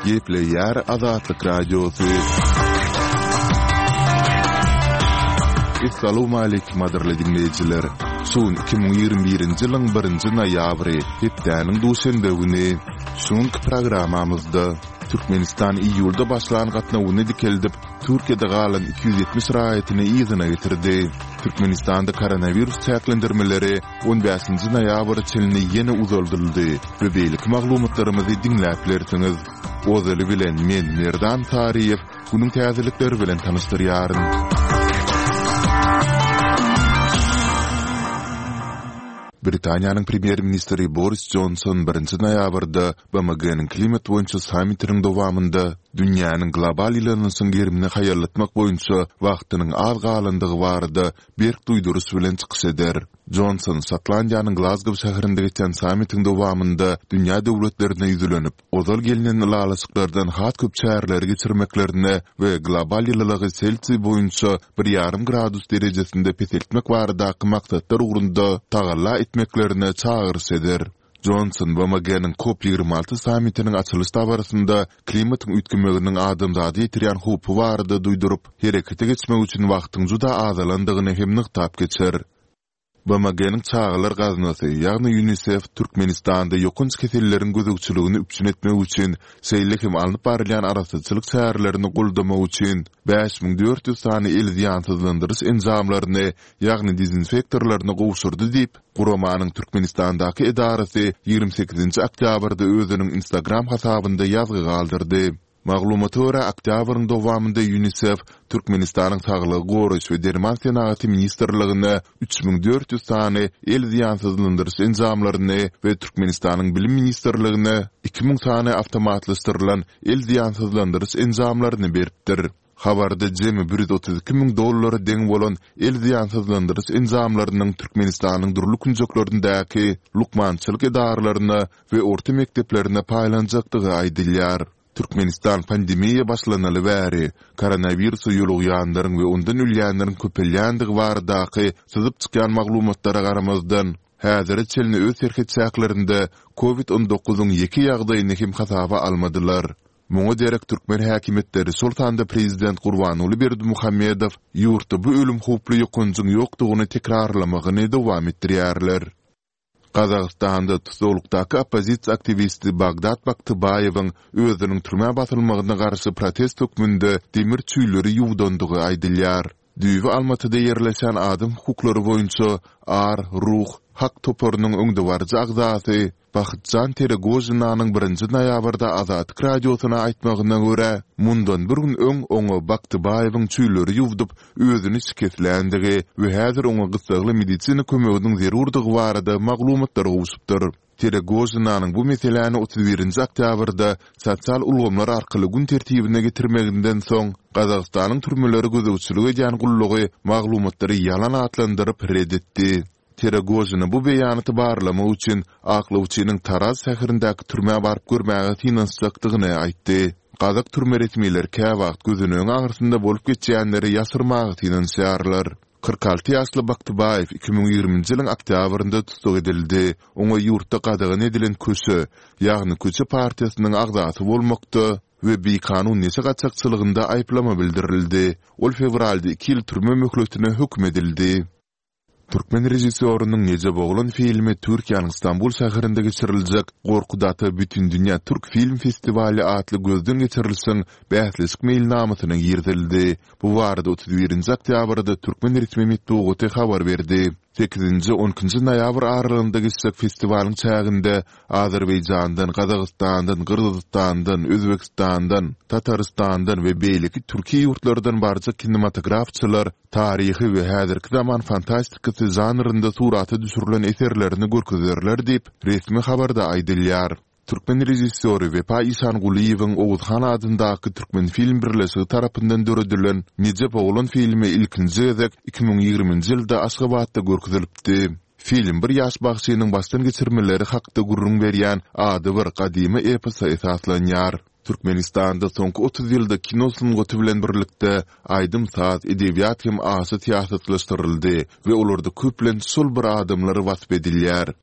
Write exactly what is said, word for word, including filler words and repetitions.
Gepleýär Azatlyk Radiosy. Essalawmaleýkim gadyrly diňleýjiler! Şu gün iki müň ýigrimi birinji ýylyň birinji noýabry, hepdäniň duşenbe güni. Şu günki programmamyzda Türkmenistan iýulda başlan gatnawyny dikeldip, Türkiýede galan iki ýüz ýetmiş raýatyny yzyna getirdi. Türkmenistanda koronawirus çäklendirmeleri on bäşinji noýabra çenli ýene uzaldyldy we beýleki maglumatlarymyzy diňläp bilersiňiz. Ozaly bilen men Merdan Saryýew günüň täzelikleri bilen tanyşdyrýaryn. Britaniýanyň premýer-ministri Boris Jonson birinji noýabrda BMG-niň klimat boýunça sammitiniň dowamynda dünýäniň global ýylanyşyň gerimini haýallatmak boýunça wagtynyň az galandygy barada berk duýduryş bilen çykyş eder. Jonson Şotlandiýanyň Glazgow şäherinde geçen sammitiň dowamynda dünýä döwletlerine ýüzlenip, ozal gelnen ylalaşyklardan has köp çäreleri geçirmeklerine we global ýylylygy Selsiý boýunça bir ýarym gradus derejesinde peseltmek baradaky maksatlar ugrunda tagalla etmeklerine çagyryş eder. Jonson BMG-niň Kop ýigrimi alty sammitiniň açylyş dabarasynda klimatyň üýtgemeginiň adamzada ýetirýän howpy barada duýduryp, herekete geçmek üçin wagtyň juda azalandygyny hem nygtap geçer. BMG-niň Çagalar gaznasy, ýagny Ýunisef Türkmenistanda ýokanç keselleriň gözegçiligini üpjün etmek üçin, şeýle hem alnyp barylýan arassaçylyk çärelerini goldamak üçin bäş müň dört ýüz sany el zyýansyzlandyryş enjamlaryny, ýagny dezinfektorlaryny gowşurdy diýip, guramanyň Türkmenistandaky edarasy ýigrimi sekizinji oktýabrda özüniň Instagram hasabynda ýazgy galdyrdy. Maglumata görä, oktýabryň dowamynda Ýunisef Türkmenistanyň Saglygy goraýyş we derman senagaty ministrligine üç müň dört ýüz sany el zyýansyzlandyryş enjamlaryny we Türkmenistanyň Bilim ministrligine iki müň sany awtomatlaşdyrylan el zyýansyzlandyryş enjamlaryny beripdir. Habarda jemi bir ýüz otuz iki müň dollara deň bolan el zyýansyzlandyryş enjamlarynyň Türkmenistanyň dürli künjeklerindäki lukmançylyk edaralaryna we orta mekdeplerine paýlanjakdygy aýdylýar. Türkmenistan pandemiýa başlanaly bäri, koronawirusa ýolugýanlaryň we ondan ölýänleriň köpelýändigi baradaky syzyp çykýan maglumatlara garamazdan, häzire çenli öz serhet çäklerinde Covid on dokuzyň ýeke ýagdaýyny hem hasaba almadylar. Muňa derek türkmen häkimiýetleri, şol sanda prezident Gurbanguly Berdimuhamedow ýurtda bu ölüm howply ýokanjyň ýokdugyny tekrarlamagyny dowam etdirýärler. Gazagystanda tussaglykdaky oppozisiýa aktiwisti Bagdat Baktybaýewiň özüniň türmä basylmagyna garşy protest hökmünde demir çüýleri ýuwdandygy aýdylýar. Düýbi Almatyda ýerleşýän adam hukuklary boýunça Ar, Ruh, Hak toparynyň öňdebaryjy agzasy Bahytjan Teregožinanyň birinji noýabrda Azatlyk Radiosyna aýtmagyna görä, mundan bir gün öň oňa Baktybaýewiň çüýleri ýuwdup, özüni şikesländigi we häzir oňa gyssagly medisina kömeginiň zerurdygy barada maglumatlar gowşupdyr. Teregožinanyň bu meseläni otuz birinji oktýabrda sosial ulgamlar arkaly gün tertibine getirmeginden soň, Gazagystanyň türmelere gözegçilik edýän gullugy maglumatlary ýalan atlandyryp ret etdi. Teregožina bu beýanaty barlamak üçin aklawçynyň Taraz şäherindäki türmä baryp görmäge synanyşjakdygyny aýtdy. Gazak türme resmileri käwagt gözenegiň aňyrsynda bolup geçýänleri ýaşyrmaga synanyşýarlar. Kyrk alty ýaşly Baktybaýew iki müň ýigriminji ýylyň oktýabrynda tussag edildi. Oňa ýurtda gadagan edilen Köşe, ýagny Köçe partiýasynyň agzasy bolmakda we bikanun neşe gaçakçylygynda aýyplama bildirildi. Ol fewralda iki ýyl türme möhletine höküm edildi. Türkmen režissýorynyň Nejep oglan filmi Türkiýäniň Stambul şäherinde geçiriljek Gorkut ata Bütindünýä türk film festiwaly atly gözden geçirilişiň bäsleşik meýilnamasyna girizildi. Bu barada otuz birinji oktýabrda türkmen resmi metbugaty habar berdi. Sekizinji, on ikinji noýabr aralygynda geçjek festiwalyň çäginde Azerbaýjandan, Gazagystandan, Gyrgyzystandan, Özbegistandan, Tatarystandan we beýleki türki ýurtlardan barjak kinematografçylar taryhy we häzirki zaman fantastikasy žanrynda surata düşürilen eserlerini görkezerler diýip, resmi habarda aýdylýar. Türkmen režissýory Wepa Işangulyýewiň Oguzhan adyndaky Türkmenfilm birleşigi tarapyndan döredilen Nejep oglan filmi ilkinji gezek iki müň ýigriminji ýylda Aşgabatda görkezilipdi. Film bir ýaş bagşynyň başdan geçirmeleri hakda gürrüň berýän adybir gadymy eposa esaslanýar. Türkmenistanda soňky otuz ýylda kino sungaty bilen birlikde aýdym-saz, edebiýat hem aşa syýasatlaşdyryldy we olarda köplenç şol bir adamlar wasp edilýär.